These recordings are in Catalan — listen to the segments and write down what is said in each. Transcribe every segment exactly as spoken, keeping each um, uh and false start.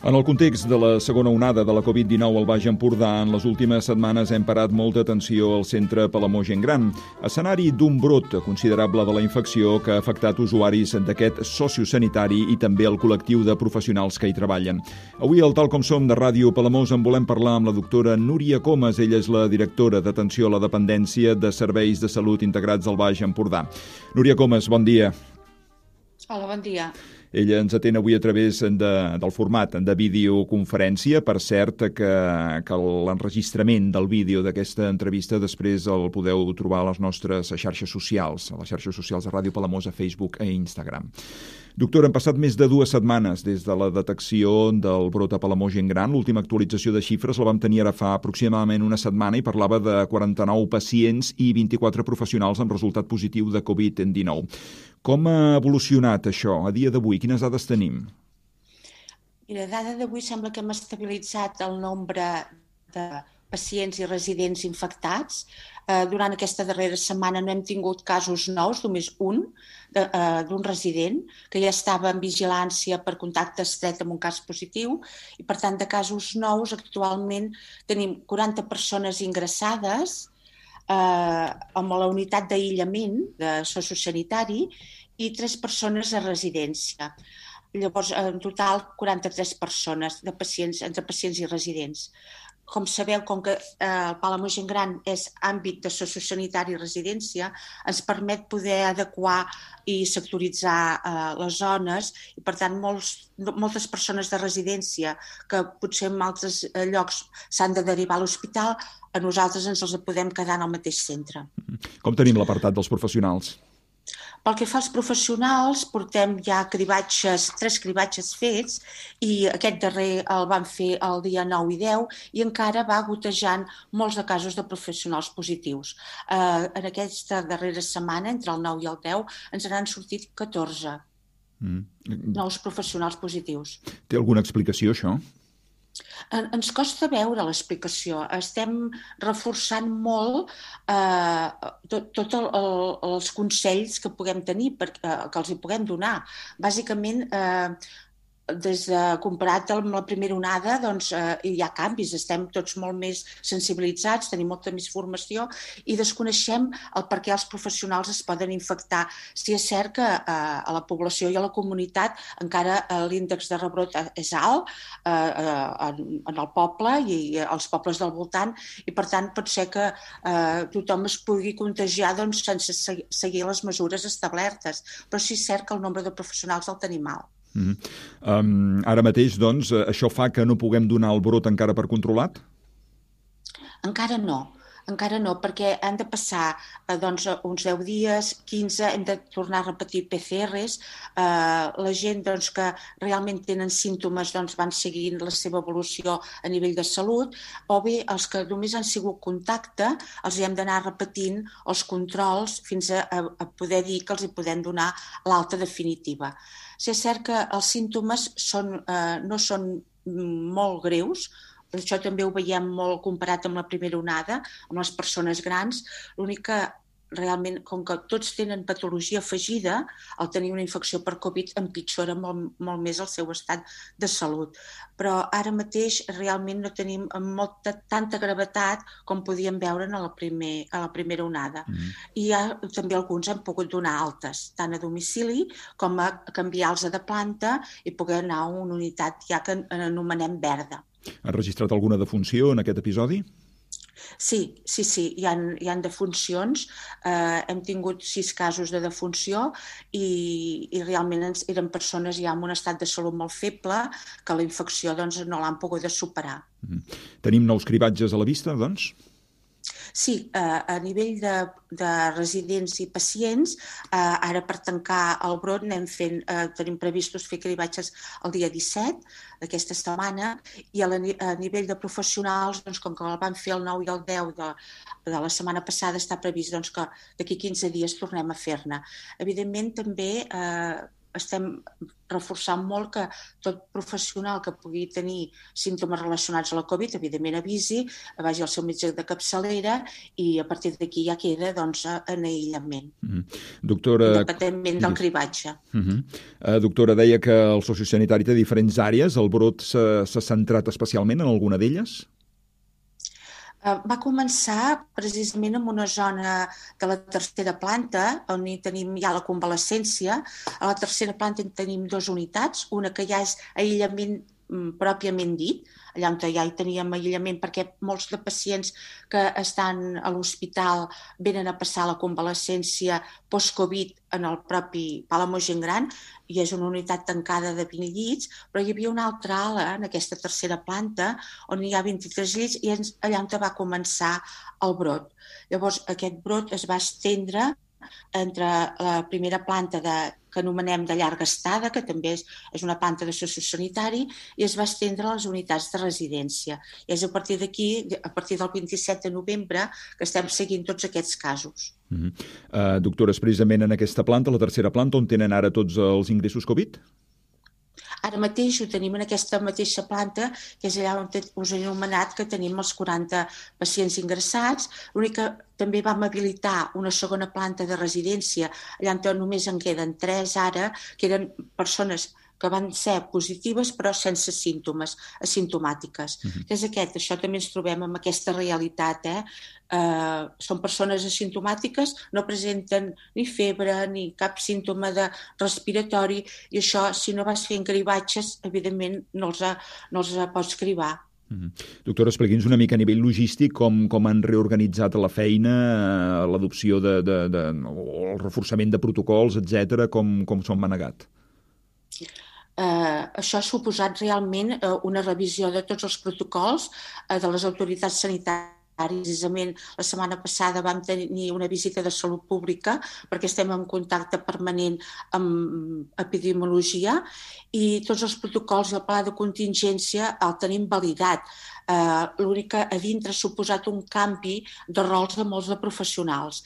En el context de la segona onada de la covid dinou al Baix Empordà, en les últimes setmanes hem parat molta atenció al centre Palamós Gent Gran, escenari d'un brot considerable de la infecció que ha afectat usuaris d'aquest sociosanitari i també el col·lectiu de professionals que hi treballen. Avui, al Tal Com Som de Ràdio Palamós, en volem parlar amb la doctora Núria Comas. Ella és la directora d'Atenció a la Dependència de Serveis de Salut Integrats al Baix Empordà. Núria Comas, bon dia. Hola, bon dia. Ella ens atén avui a través de, del format de videoconferència. Per cert, que, que l'enregistrament del vídeo d'aquesta entrevista després el podeu trobar a les nostres xarxes socials, a les xarxes socials de Ràdio Palamós, a Facebook i Instagram. Doctora, han passat més de dues setmanes des de la detecció del brot a Palamós Gent Gran. L'última actualització de xifres la vam tenir ara fa aproximadament una setmana i parlava de quaranta-nou pacients i vint-i-quatre professionals amb resultat positiu de covid dinou. Com ha evolucionat això a dia d'avui? Quines dades tenim? Mira, a data d'avui sembla que hem estabilitzat el nombre de pacients i residents infectats. Eh, durant aquesta darrera setmana no hem tingut casos nous, només un, de, eh, d'un resident que ja estava en vigilància per contacte estret amb un cas positiu i, per tant, de casos nous actualment tenim quaranta persones ingressades eh, amb la unitat d'aïllament de sociosanitari i tres persones a residència. Llavors, en total, quaranta-tres persones de pacients, entre pacients i residents. Com sabeu, com que eh, el Palamós Gent Gran és àmbit de sociosanitari i residència, ens permet poder adequar i sectoritzar eh, les zones i, per tant, molts, moltes persones de residència que potser en altres llocs s'han de derivar a l'hospital, a nosaltres ens els podem quedar en el mateix centre. Com tenim l'apartat dels professionals? Pel que fa als professionals, portem ja cribatges, tres cribatges fets i aquest darrer el vam fer el dia nou i deu i encara va gotejant molts de casos de professionals positius. Eh, en aquesta darrera setmana, entre el nou i el deu, ens n'han sortit catorze mm. nous professionals positius. Té alguna explicació, això? Ens costa veure l'explicació. Estem reforçant molt eh, tots tot el, el, els consells que puguem tenir, per, eh, que els hi puguem donar. Bàsicament, eh, des de comparat amb la primera onada, doncs, eh, hi ha canvis. Estem tots molt més sensibilitzats, tenim molta més formació i desconeixem el per què els professionals es poden infectar. Si és cert que eh, a la població i a la comunitat encara eh, l'índex de rebrot és alt eh, en, en el poble i als pobles del voltant i, per tant, pot ser que eh, tothom es pugui contagiar doncs, sense seguir les mesures establertes. Però sí és cert que el nombre de professionals el tenim alt. Mm-hmm. um, ara mateix, doncs, això fa que no puguem donar el brot encara per controlat? Encara no. Encara no, perquè han de passar eh, doncs, uns deu dies, quinze, hem de tornar a repetir P C Rs. Eh, la gent doncs, que realment tenen símptomes doncs, van seguint la seva evolució a nivell de salut, o bé els que només han sigut contacte, els hem d'anar repetint els controls fins a, a poder dir que els hi podem donar l'alta definitiva. Si és cert que els símptomes són, eh, no són molt greus, això també ho veiem molt comparat amb la primera onada, amb les persones grans. L'únic que realment, com que tots tenen patologia afegida, al tenir una infecció per Covid empitjora molt, molt més el seu estat de salut. Però ara mateix realment no tenim molta, tanta gravetat com podíem veure en la, primer, a la primera onada. Mm. I ja, també alguns han pogut donar altes, tant a domicili com a canviar-los de planta i poder anar a una unitat ja que anomenem verda. Ha registrat alguna defunció en aquest episodi? Sí, sí, sí, hi ha, hi ha defuncions. Eh, hem tingut sis casos de defunció i, i realment ens, eren persones ja amb un estat de salut molt feble que la infecció doncs, no l'han pogut superar. Mm-hmm. Tenim nous cribatges a la vista, doncs? Sí, eh, a nivell de, de residents i pacients, eh, ara per tancar el brot anem fent, eh, tenim previstos fer cribatges el dia disset d'aquesta setmana i a, la, a nivell de professionals, doncs, com que el vam fer el nou i el deu de, de la setmana passada, està previst doncs, que d'aquí quinze dies tornem a fer-ne. Evidentment, també eh, estem reforçant molt que tot professional que pugui tenir símptomes relacionats a la Covid, evidentment avisi, vagi al seu metge de capçalera i a partir d'aquí ja queda doncs, en aïllament. Mm. Doctora... Independentment del cribatge. Uh -huh. uh, doctora, deia que el sociosanitari té diferents àrees. El brot s'ha centrat especialment en alguna d'elles? Va començar precisament en una zona de la tercera planta, on hi tenim ja la convalescència. A la tercera planta en tenim dues unitats, una que ja és aïllament pròpiament dit, allà on ja hi teníem aïllament, perquè molts de pacients que estan a l'hospital venen a passar la convalescència post-Covid en el propi Palamós Gent Gran, i és una unitat tancada de vint llits, però hi havia una altra ala en aquesta tercera planta on hi ha vint-i-tres llits i allà on va començar el brot. Llavors aquest brot es va estendre entre la primera planta de, que anomenem de llarga estada, que també és, és una planta de sociosanitari, i es va estendre a les unitats de residència. I és a partir d'aquí, a partir del vint-i-set de novembre, que estem seguint tots aquests casos. Uh-huh. uh, doctora, és precisament en aquesta planta, la tercera planta, on tenen ara tots els ingressos Covid? Ara mateix ho tenim en aquesta mateixa planta, que és allà on us he anomenat que tenim els quaranta pacients ingressats. L'únic que també vam habilitar una segona planta de residència, allà on només en queden tres ara, que eren persones que van ser positives però sense símptomes, asimptomàtiques. Uh-huh. És aquest, això també ens trobem amb aquesta realitat. Eh? Uh, són persones asimptomàtiques, no presenten ni febre ni cap símptoma de respiratori, i això, si no vas fent cribatges, evidentment no els, no els pots cribar. Uh-huh. Doctora, expliqui'ns una mica a nivell logístic com, com han reorganitzat la feina, l'adopció de, de, de, o el reforçament de protocols, etcètera, com, com s'ho han manegat? Uh, això ha suposat realment uh, una revisió de tots els protocols uh, de les autoritats sanitàries. Precisament la setmana passada vam tenir una visita de salut pública perquè estem en contacte permanent amb epidemiologia i tots els protocols i el pla de contingència el tenim validat. Uh, L'únic que a dintre ha suposat un canvi de rols de molts de professionals.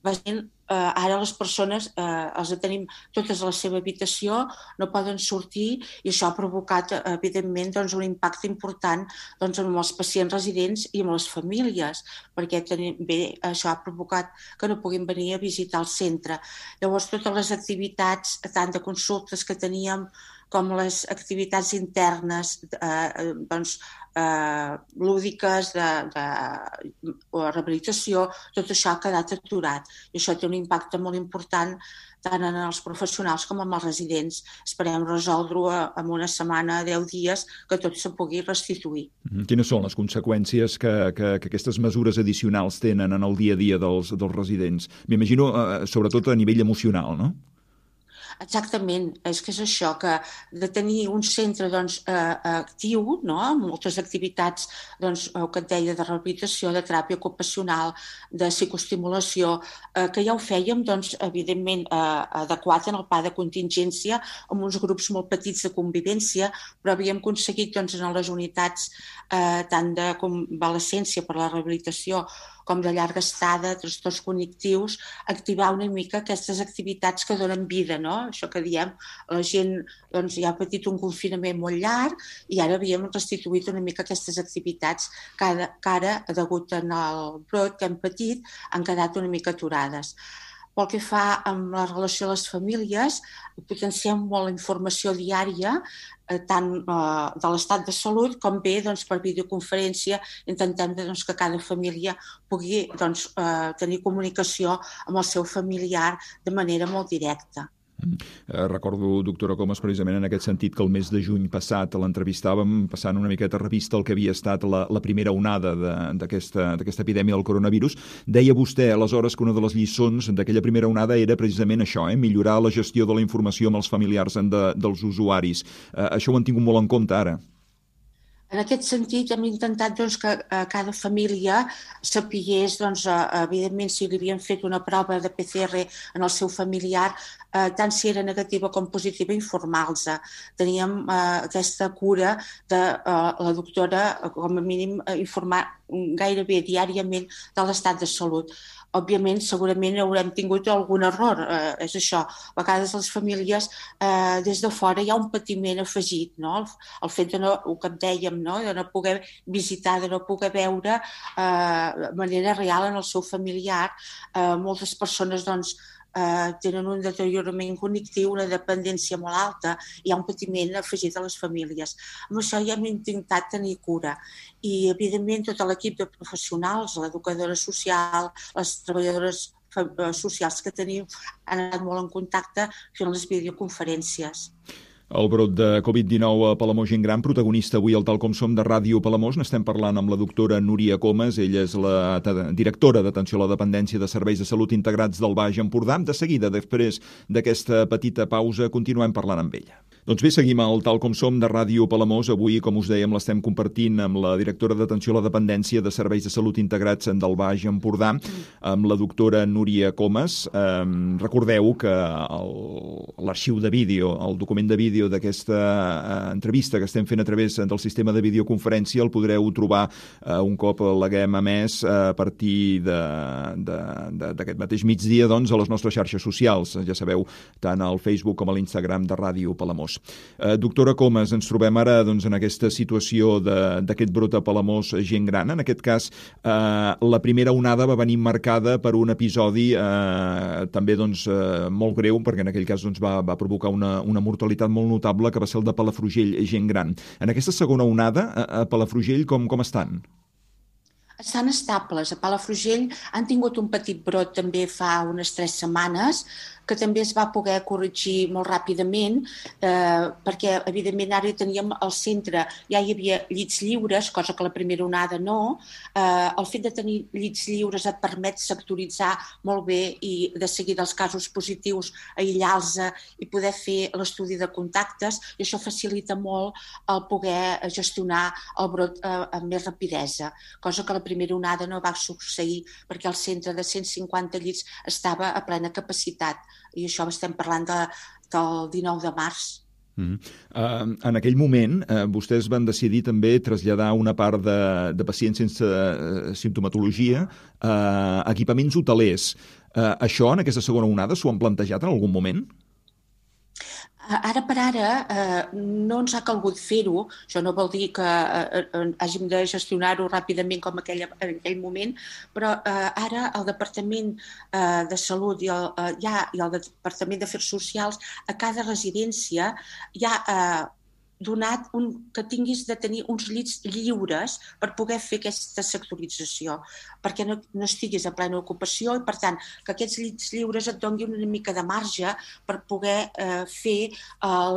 Bàsicament, eh, ara les persones eh, els tenim totes a la seva habitació, no poden sortir, i això ha provocat, evidentment, doncs, un impacte important doncs, amb els pacients residents i amb les famílies, perquè tenim, bé, això ha provocat que no puguin venir a visitar el centre. Llavors, totes les activitats, tant de consultes que teníem com les activitats internes, eh, doncs, eh, lúdiques, de, de o rehabilitació, tot això ha quedat aturat. I això té un impacte molt important tant en els professionals com en els residents. Esperem resoldre-ho en una setmana, deu dies, que tot se pugui restituir. Quines són les conseqüències que, que, que aquestes mesures addicionals tenen en el dia a dia dels, dels residents? M'imagino, eh, sobretot a nivell emocional, no? Exactament, és que és això, que de tenir un centre doncs, eh, actiu, no? Amb moltes activitats, doncs, el que et deia, de rehabilitació, de teràpia ocupacional, de psicoestimulació, eh, que ja ho fèiem, doncs, evidentment, eh, adequat en el pla de contingència, amb uns grups molt petits de convivència, però havíem aconseguit doncs, en les unitats eh, tant de convalescència per la rehabilitació com de llarga estada, trastorns cognitius, activar una mica aquestes activitats que donen vida, no? Això que diem, la gent doncs, ja ha patit un confinament molt llarg i ara havíem restituït una mica aquestes activitats que ara, que ara degut al brot que hem patit, han quedat una mica aturades. Pel que fa amb la relació a les famílies, potenciem molt la informació diària, eh, tant eh, de l'estat de salut com bé doncs, per videoconferència. Intentem doncs, que cada família pugui doncs, eh, tenir comunicació amb el seu familiar de manera molt directa. Eh, recordo, doctora Comas, precisament en aquest sentit, que el mes de juny passat l'entrevistàvem passant una miqueta revista el que havia estat la, la primera onada d'aquesta epidèmia del coronavirus. Deia vostè, aleshores, que una de les lliçons d'aquella primera onada era precisament això, eh? millorar la gestió de la informació amb els familiars de, dels usuaris. Eh, això ho han tingut molt en compte ara. En aquest sentit, hem intentat doncs, que cada família sapigués, doncs, evidentment, si li havien fet una prova de P C R en el seu familiar, eh, tant si era negativa com positiva, informar-los. Teníem eh, aquesta cura de eh, la doctora, com a mínim, informar gairebé diàriament de l'estat de salut. òbviament, segurament haurem tingut algun error, eh, és això. A vegades les famílies, eh, des de fora hi ha un patiment afegit, no? El, el fet de no, el que dèiem, no? De no poder visitar, de no poder veure eh, de manera real en el seu familiar. Eh, moltes persones, doncs, eh, tenen un deteriorament cognitiu, una dependència molt alta, hi ha un patiment afegit a les famílies. Amb això ja hem intentat tenir cura. I, evidentment, tot l'equip de professionals, l'educadora social, les treballadores socials que tenim, han anat molt en contacte fent les videoconferències. El brot de covid dinou a Palamós Gent Gran, protagonista avui al Tal Com Som de Ràdio Palamós. N'estem parlant amb la doctora Núria Comas. Ella és la directora d'Atenció a la Dependència de Serveis de Salut Integrats del Baix Empordà. De seguida, després d'aquesta petita pausa, continuem parlant amb ella. Doncs bé, seguim al Tal Com Som de Ràdio Palamós. Avui, com us dèiem, l'estem compartint amb la directora d'Atenció a la Dependència de Serveis de Salut Integrats del Baix Empordà, amb la doctora Núria Comas. Eh, recordeu que l'arxiu de vídeo, el document de vídeo d'aquesta eh, entrevista que estem fent a través del sistema de videoconferència el podreu trobar eh, un cop l'haguem emès eh, a partir d'aquest mateix migdia, doncs, a les nostres xarxes socials. Ja sabeu, tant al Facebook com a l'Instagram de Ràdio Palamós. Eh, doctora Comas, ens trobem ara doncs, en aquesta situació d'aquest brot a Palamós Gent Gran. En aquest cas, eh, la primera onada va venir marcada per un episodi eh, també doncs, eh, molt greu, perquè en aquell cas doncs, va, va provocar una, una mortalitat molt notable, que va ser el de Palafrugell Gent Gran. En aquesta segona onada, a Palafrugell, com, com estan? Estan estables. A Palafrugell han tingut un petit brot també fa unes tres setmanes, que també es va poder corregir molt ràpidament, eh, perquè, evidentment, ara teníem al centre, ja hi havia llits lliures, cosa que la primera onada no. Eh, el fet de tenir llits lliures et permet sectoritzar molt bé i de seguida els casos positius, aïllar-los i poder fer l'estudi de contactes, i això facilita molt el poder gestionar el brot eh, amb més rapidesa, cosa que la primera onada no va succeir perquè el centre de cent cinquanta llits estava a plena capacitat. I això estem parlant de, del dinou de març. Mm-hmm. Uh, en aquell moment, uh, vostès van decidir també traslladar una part de, de pacients sense uh, simptomatologia a uh, equipaments hotelers. Uh, això, en aquesta segona onada, s'ho han plantejat en algun moment? Ara per ara eh, no ens ha calgut fer-ho, això no vol dir que eh, hàgim de gestionar-ho ràpidament com aquell, en aquell moment, però eh, ara el Departament eh, de Salut i el, eh, ja, i el Departament d'Afers Socials a cada residència ja eh, donat un, que tinguis de tenir uns llits lliures per poder fer aquesta sectorització, perquè no, no estiguis a plena ocupació i, per tant, que aquests llits lliures et donin una mica de marge per poder eh, fer eh,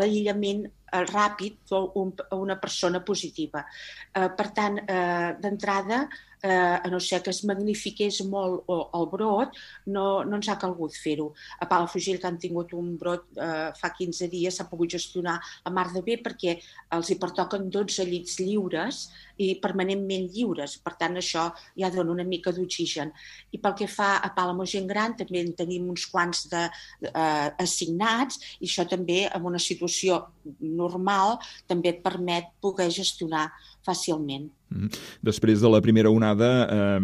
l'aïllament eh, ràpid a un, una persona positiva. Eh, per tant, eh, d'entrada, eh, a no ser que es magnifiqués molt el brot, no, no ens ha calgut fer-ho. A Palafrugell, que han tingut un brot eh, fa quinze dies, s'ha pogut gestionar a mar de bé perquè els hi pertoquen dotze llits lliures i permanentment lliures. Per tant, això ja dona una mica d'oxigen. I pel que fa a Palamós Gent Gran, també en tenim uns quants de, eh, assignats, i això també, en una situació normal, també et permet poder gestionar fàcilment. Després de la primera onada, eh,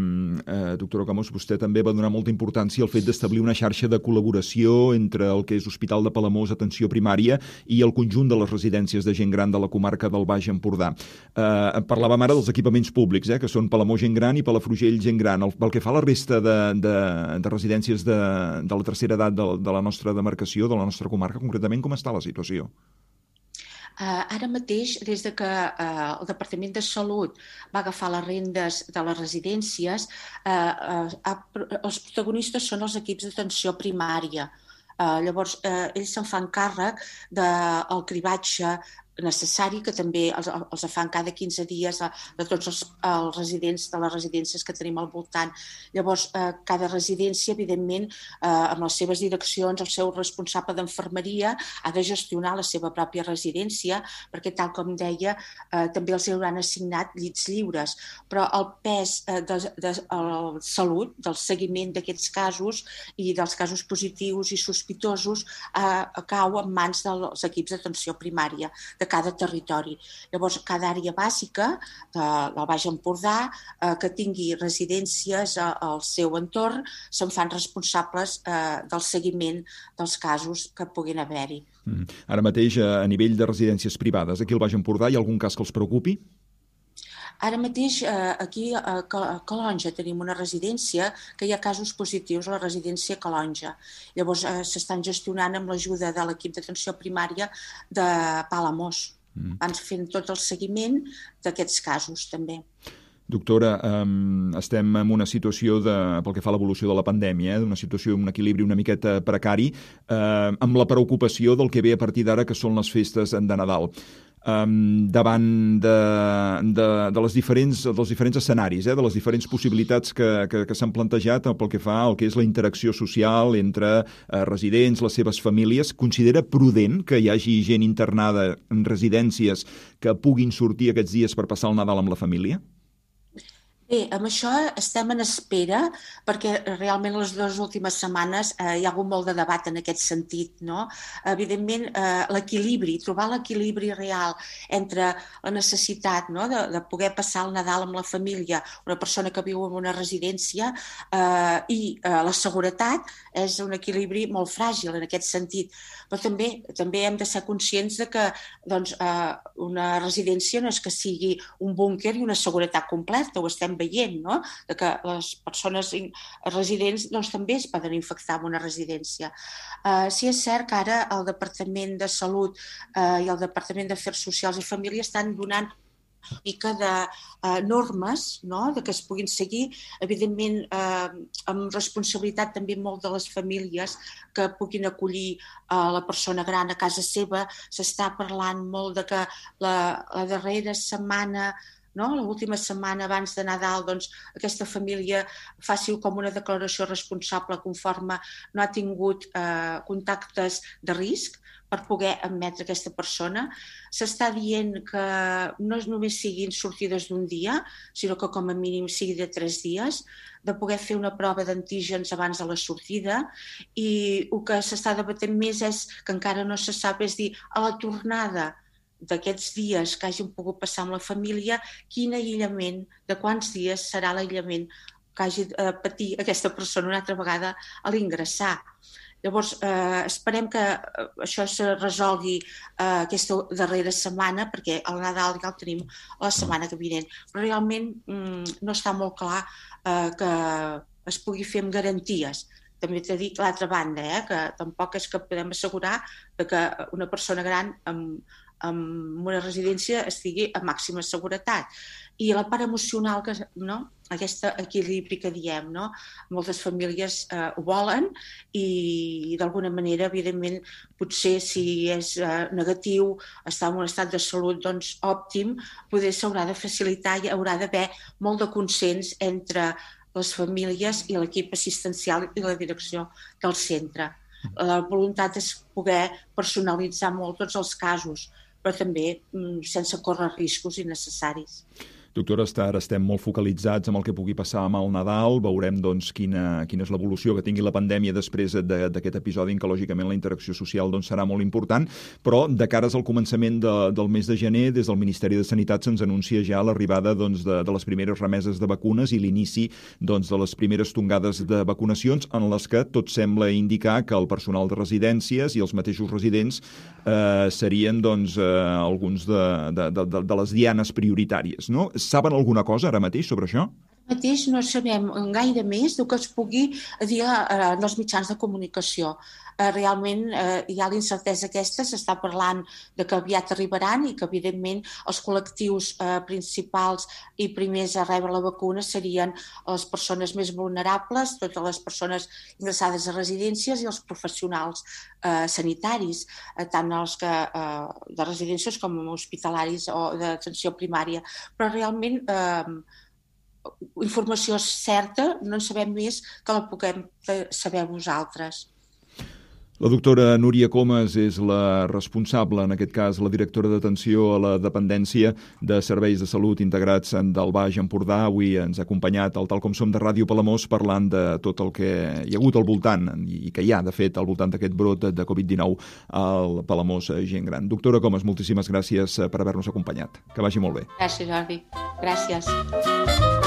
eh, doctora Comas, vostè també va donar molta importància al fet d'establir una xarxa de col·laboració entre el que és Hospital de Palamós, Atenció Primària, i el conjunt de les residències de gent gran de la comarca del Baix Empordà. Eh, parlàvem ara dels equipaments públics, eh, que són Palamós Gent Gran i Palafrugell Gent Gran. El, pel que fa a la resta de, de, de residències de, de la tercera edat de, de la nostra demarcació, de la nostra comarca, concretament, com està la situació? Uh, ara mateix, des de que uh, el Departament de Salut va agafar les rendes de les residències, uh, uh, els protagonistes són els equips d'atenció primària. Uh, llavors, uh, ells se'n fan càrrec del cribatge necessari, que també els, els fan cada quinze dies de tots els, els residents de les residències que tenim al voltant. Llavors, eh, cada residència, evidentment, eh, amb les seves direccions, el seu responsable d'enfermeria ha de gestionar la seva pròpia residència, perquè, tal com deia, eh, també els hauran assignat llits lliures. Però el pes eh, de, de, de la salut, del seguiment d'aquests casos i dels casos positius i sospitosos, eh, cau en mans dels equips d'atenció primària. de cada territori. Llavors, cada àrea bàsica de, del Baix Empordà eh, que tingui residències al seu entorn se'n fan responsables eh, del seguiment dels casos que puguin haver-hi. Mm. Ara mateix, a nivell de residències privades, aquí al Baix Empordà hi ha algun cas que els preocupi? Ara mateix, eh, aquí a Calonge tenim una residència que hi ha casos positius a la residència Calonge. Llavors, eh, s'estan gestionant amb l'ajuda de l'equip d'atenció primària de Palamós. Mm. Van fent tot el seguiment d'aquests casos, també. Doctora, eh, estem en una situació, de, pel que fa a l'evolució de la pandèmia, eh, una situació, un equilibri una miqueta precari, eh, amb la preocupació del que ve a partir d'ara, que són les festes de Nadal. Um, davant de, de, de les diferents, dels diferents escenaris, eh, de les diferents possibilitats que, que, que s'han plantejat pel que fa al que és la interacció social entre eh, residents, les seves famílies, considera prudent que hi hagi gent internada en residències que puguin sortir aquests dies per passar el Nadal amb la família? Bé, amb això estem en espera perquè realment les dues últimes setmanes eh, hi ha hagut molt de debat en aquest sentit, no? Evidentment, eh, l'equilibri, trobar l'equilibri real entre la necessitat, no?, de, de poder passar el Nadal amb la família, una persona que viu en una residència, eh, i eh, la seguretat és un equilibri molt fràgil en aquest sentit. Però també també hem de ser conscients de que doncs, eh, una residència no és que sigui un búnquer i una seguretat completa, ho estem veient, no?, de que les persones residents doncs, també es poden infectar en una residència. Uh, sí és cert que ara el Departament de Salut uh, i el Departament d'Afers Socials i Família estan donant una mica de uh, normes, no?, de que es puguin seguir, evidentment eh, amb responsabilitat també molt de les famílies que puguin acollir uh, la persona gran a casa seva. S'està parlant molt de que la, la darrera setmana, no?, l'última setmana abans de Nadal, doncs, aquesta família faci com una declaració responsable conforme no ha tingut eh, contactes de risc per poder admetre aquesta persona. S'està dient que no només siguin sortides d'un dia, sinó que com a mínim sigui de tres dies, de poder fer una prova d'antígens abans de la sortida, i el que s'està debatent més és que encara no se sap, és dir, a la tornada d'aquests dies que hagin pogut passar amb la família, quin aïllament, de quants dies serà l'aïllament que hagi de patir aquesta persona una altra vegada a l'ingressar. Llavors, eh, esperem que això se resolgui eh, aquesta darrera setmana, perquè el Nadal ja el tenim la setmana que vinent. Però realment mm, no està molt clar eh, que es pugui fer amb garanties. També t'he dit l'altra banda, eh, que tampoc és que podem assegurar que una persona gran amb en una residència estigui a màxima seguretat. I la part emocional, que, no?, aquest equilibri que diem, no?, moltes famílies eh, ho volen i d'alguna manera, evidentment, potser si és eh, negatiu, està en un estat de salut doncs, òptim, poder s'haurà de facilitar i haurà d'haver molt de consens entre les famílies i l'equip assistencial i la direcció del centre. La voluntat és poder personalitzar molt tots els casos, però també sense córrer riscos innecessaris. Doctora, ara estem molt focalitzats amb el que pugui passar amb el Nadal. Veurem doncs, quina, quina és l'evolució que tingui la pandèmia després d'aquest episodi, en què lògicament la interacció social doncs, serà molt important, però de cares al començament de, del mes de gener, des del Ministeri de Sanitat se'ns anuncia ja l'arribada doncs, de, de les primeres remeses de vacunes i l'inici doncs, de les primeres tongades de vacunacions, en les que tot sembla indicar que el personal de residències i els mateixos residents eh, serien doncs, eh, alguns de, de, de, de les dianes prioritàries, no? Saben alguna cosa ara mateix sobre això? Ara mateix no sabem gaire més del que es pugui dir en els mitjans de comunicació. Realment hi ha l'incertesa aquesta, s'està parlant de que aviat arribaran i que evidentment els col·lectius principals i primers a rebre la vacuna serien les persones més vulnerables, totes les persones ingressades a residències i els professionals sanitaris, tant els que de residències com hospitalaris o d'atenció primària. Però realment informació certa no en sabem més que la puguem saber vosaltres. La doctora Núria Comas és la responsable, en aquest cas la directora d'atenció a la dependència de serveis de salut integrats del Baix Empordà. Avui ens ha acompanyat al Tal Com Som de Ràdio Palamós parlant de tot el que hi ha hagut al voltant i que hi ha, de fet, al voltant d'aquest brot de covid dinou al Palamós Gent Gran. Doctora Comas, moltíssimes gràcies per haver-nos acompanyat. Que vagi molt bé. Gràcies, Jordi. Gràcies.